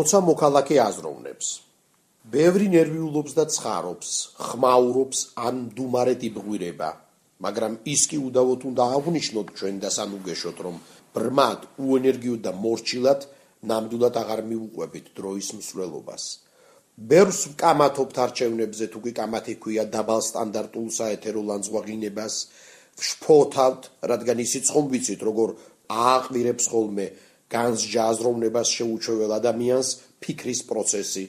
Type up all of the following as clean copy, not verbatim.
როცა მოქალაქე აზროვნებს, ბევრი ნერვიულობს და ცხარობს, ხმაურობს ან მდუმარედ იბღვირება, მაგრამ ის კი უდავოდ უნდა აღვნიშნოთ ჩვენ და სანუგეშოთ, რომ ბრმად, უენერგიოდ და მორჩილად ნამდვილად აღარ მიუყვებით დროის მსვლელობას. ბევრს ვკამათობთ არჩევნებზე, თუ კი კამათი ქვია დაბალ სტანდარტულ საეთერო ლანძღვაღინებას, ვშფოთავთ, რადგან ისიც ხომ ვიცით, როგორ ააყვირებს ხოლმე განსჯა აზროვნებას შეუჩვეულ ადამიანს ფიქრის პროცესი.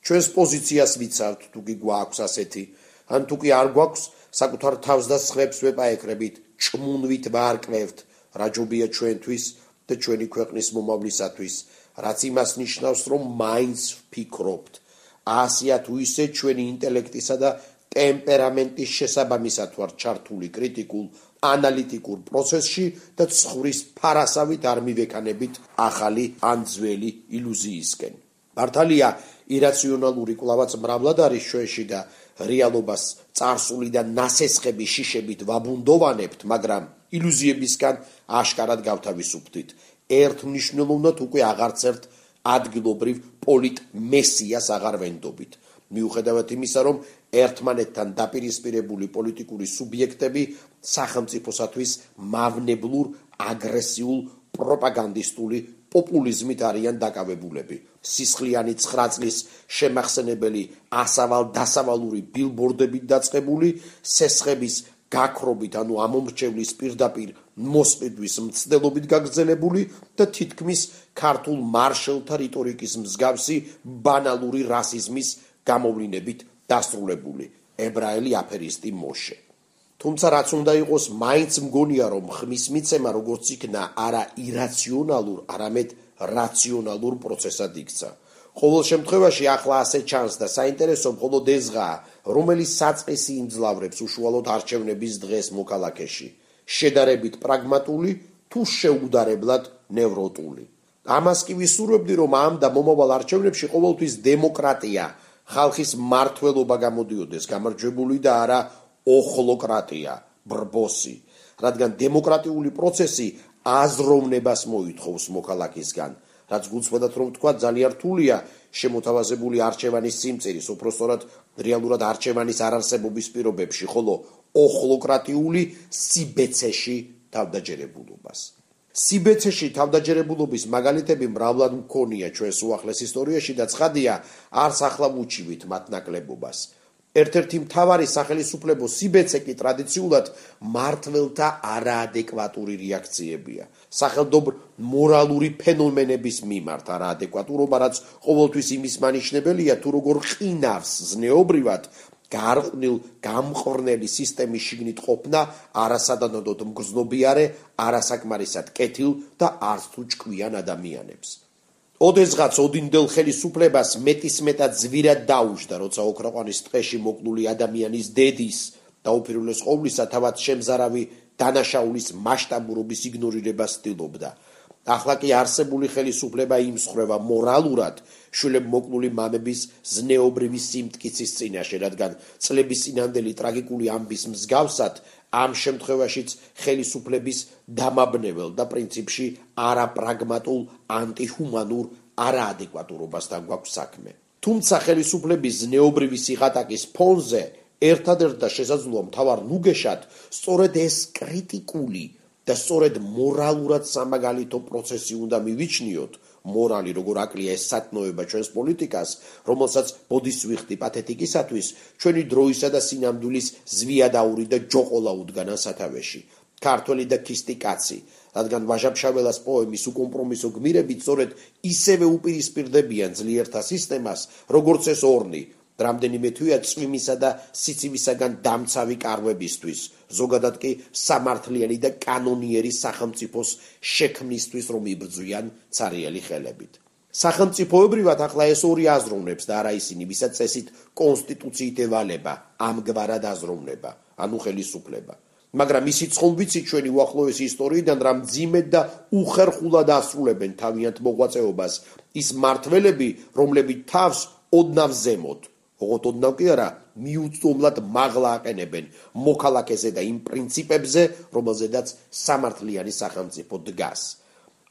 ჩვენს პოზიციას ვიცავთ, თუ კი გვაქვს ასეთი, ან თუ კი არ გვაქვს, საკუთარ თავს და სხვებს ვეპაექრებით, ჭმუნვით ვარკვევთ, რა ჯობია ჩვენთვის და ჩვენი ქვეყნის მომავლისათვის, რაც იმას ნიშნავს, რომ მაინც ვფიქრობთ. ასია თუ ისე ჩვენი ინტელექტისა და ტემპერამენტის შესაბამისად ვართ ჩართული კრიტიკულ, ანალიტიკურ პროცესში და ცხვრის ფარასავით არ მივექანებით ახალი ან ძველი ილუზიისკენ. მართალია, ირაციონალური კვლავაც მრავლად არის ჩვენში და რეალობას წარსული და ნასესხები შიშებით ვაბუნდოვანებთ, მაგრამ ილუზიებისგან აშკარად გავთავისუფლდით. ერთმნიშვნელოვნად უკვე აღარც ერთ ადგილობრივ პოლიტმესიას აღარ ვენდობით. მიუხედავად იმისა, რომ ერთმანეთთან დაპირისპირებული პოლიტიკური სუბიექტები სახელმწიფოსათვის მავნებლურ, აგრესიულ, პროპაგანდისტული პოპულიზმით არიან დაკავებულები. სისხლიანი 9 წლის შემახსენებელი ასავალ-დასავალური ბილბორდებით დაწყებული, სესხების გაქრობით, ანუ ამომრჩევლის პირდაპირ მოსყიდვის მცდელობით გაგრძელებული და თითქმის ქართულ მარშალთა რიტორიკის მსგავსი ბანალური რასიზმის გამოვლინებით დასრულებული ებრაელი აფერისტი მოშე. თუმცა რაც უნდა იყოს, მაინც მგონია, რომ ხმის მიცემა როგორც იქნა არა ირაციონალურ, არამედ რაციონალურ პროცესად იქცა. ყოველ შემთხვევაში ახლა ასე ჩანს და საინტერესო მხოლოდ ესღაა, რომელიც საწყისი იმძლავრებს უშუალოდ არჩევნების დღეს მოქალაქეში, შედარებით პრაგმატული თუ შეუდარებლად ნევროტული. ამას კი ვისურვებდი, რომ ამ და მომავალ არჩევნებში ყოველთვის დემოკრატია, ხალხის მართლობა გამოდიოდეს გამარჯვებული და არა ოხლოკრატია, ბრბოსი, რადგან დემოკრატიული პროცესი აზროვნებას მოითხოვს მოქალაქისგან, რაც გულწრფელად რომ თქვა ძალიან რთულია შემოთავაზებული არჩევანის სიმწირის, უпростоრად რეალურად არჩევანის არარსებობის პირობებში, ხოლო ოხლოკრატიული სიბეცეში თავდაჯერებულობას. სიბეცეში თავდაჯერებულობის მაგალითები მრავლად მქონია ჩვენს უახლეს ისტორიაში და ცხადია, არც ახლა ვუჩივით მათ ნაკლებობას. ერთ-ერთი მთავარი სახელისუფლებო სიბეცე კი ტრადიციულად მმართველთა არაადეკვატური რეაქციებია. სახელმწიფო მორალური ფენომენების მიმართ არაადეკვატურობა, რაც ყოველთვის იმის მანიშნებელია, თუ როგორ ყინავს ზნეობრივად გარყვნილ გამყრნელი სისტემის შიგნით ყოფნა არასადანოდოდ მგრძნობიარე, არასაკმარისად კეთილ და არც თუ ჭკვიან ადამიანებს. ოდესღაც ოდინდელ ხელისუფლებას მეტისმეტად ზვირად დაუჯდა, როცა ოქროყვანის ტყეში მოკლული ადამიანის დედის და უპირველეს ყოვლისა თავად შემზარავი დანაშაულის მასშტაბურობის იგნორირებას ცდილობდა. ახლა კი არსებული ხელისუფლება იმსხვრევა მორალურად შვილებმოკლული მამების ზნეობრივი სიმტკიცის წინაშე, რადგან წლების წინანდელი ტრაგიკული ამბის მსგავსად ამ შემთხვევაშიც ხელისუფლების დამაბნეველ და პრინციპში არაპრაგმატულ, ანტიჰუმანურ არაადეკვატურობასთან გვაქვს საქმე. თუმცა ხელისუფლების ზნეობრივი სიღატაკის ფონზე ერთადერთ და შესაძლოა მთავარ ნუგეშად სწორედ ეს კრიტიკული და სწორედ მორალურად სამაგალითო პროცესი უნდა მივიჩნიოთ, მორალი როგორ აკლია ეს სათნოება ჩვენს პოლიტიკას, რომელსაც ბოდის ვიხდი პათეტიკისათვის, ჩვენი დროისა და სინამდვილის ზვიადაური და ჯოყოლა უდგანა სათავეში. ქართველი და ქისტი კაცი, რადგან ვაჟა-ფშაველას პოემის უკომპრომისო გმირებით სწორედ ისევე უპირისპირდებიან ძლიერთა სისტემას, როგორც ეს ორნი, რამდენიმე თვეა წვიმისა და სიცივისაგან დამცავი კარვებისთვის, ზოგადად კი სამართლიანი და კანონიერი სახელმწიფოს შექმნისთვის, რომ იბრძვიან ცარიელი ხელებით. სახელმწიფოებრივად ახლა ეს ორი აზროვნებს და არა ისინი, ვისაც წესით კონსტიტუციით ევალება ამგვარად აზროვნება, ანუ ხელისუფლება. მაგრამ ისიც ხომ ვიცით ჩვენი უახლოესი ისტორიიდან, რა მძიმედ და უხერხულად ასრულებენ თავიანთ მოღვაწეობას ის მმართველები, რომლებიც თავს ოდნავ ზემოთ, ოღონდ ოდნავ კი არა, მიუწვდომლად მაღლა აყენებენ მოქალაქეზე და იმ პრინციპებზე, რომელზედაც სამართლიანი სახელმწიფო დგას.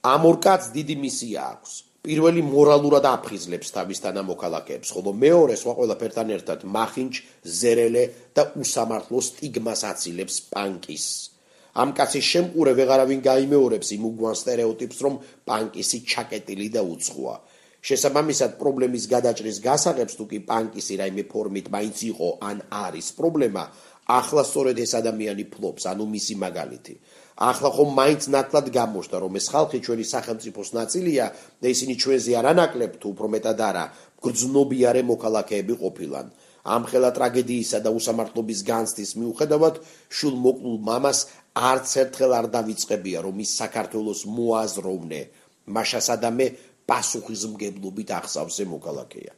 ამ ორ კაცს დიდი მისია აქვს. პირველი მორალურად აფხიზლებს თავის თანამოქალაქეებს, ხოლო მეორე სხვა ყველაფერთან ერთად მახინჯ, ზერელე და უსამართლო სტიგმას აცილებს პანკის. ამ კაცის შემყურე ვეღარავინ გაიმეორებს იმ უგვან სტერეოტიპს, რომ პანკისი ჩაკეტილი და უცხოა. შესაბამისად, პრობლემის გადაჭრის გასაღებს თუ კი პანკისი რაიმე ფორმით მაინც იყო ან არის პრობლემა, ახლა სწორედ ეს ადამიანი ფლობს, ანუ მისი მაგალითი. ახლა ხომ მაინც ნათლად გამოჩნდა, რომ ეს ხალხი ჩვენი სახელმწიფოს ნაწილია და ისინი ჩვენზე არანაკლებ თუ უფრო მეტად არა, გრძნობიარე მოქალაქეები ყოფილან. ამ ხელა ტრაგედიისა და უსამართლობის განცდის მიუხედავად, შულმოკლულ მამას არც ერთხელ არ დავიწყებია, რომ ის საქართველოს მოაზროვნე, მაშასადამე პასუხისმგებლობით აღსავსე მოქალაქეა.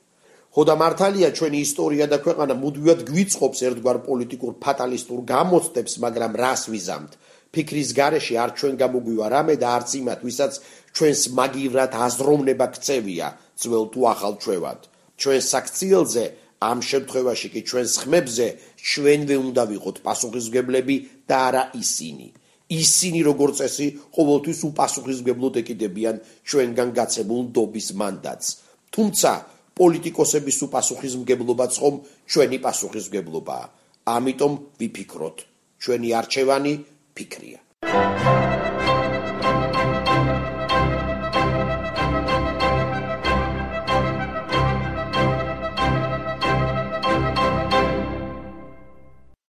ხოდა მართალია ჩვენი ისტორია და ქვეყანა მუდმივად გვიწყობს ერთგვარ პოლიტიკურ ფატალისტურ გამოცდებს, მაგრამ რას ვიზამთ? ფიქრის გარეშე არ ჩვენ გამოგვივა რამე და არც იმათ, ვისაც ჩვენს მაგივრად აზროვნება ქცევია, ძველ თუ ახალ ჩვევად. ჩვენს საქციელზე, ამ შემთხვევაში კი ჩვენს ხმებზე, ჩვენვე უნდა ვიყოთ პასუხისმგებლები და არა ისინი. ისინი როგორც წესი ყოველთვის უპასუხისმგებლოდ ეკიდებიან ჩვენგან გაცემულ ნდობის მანდატს. თუმცა პოლიტიკოსების უპასუხისმგებლობაც ხომ ჩვენი პასუხისმგებლობაა. ამიტომ ვიფიქროთ, ჩვენი არჩევანი ფიქრია.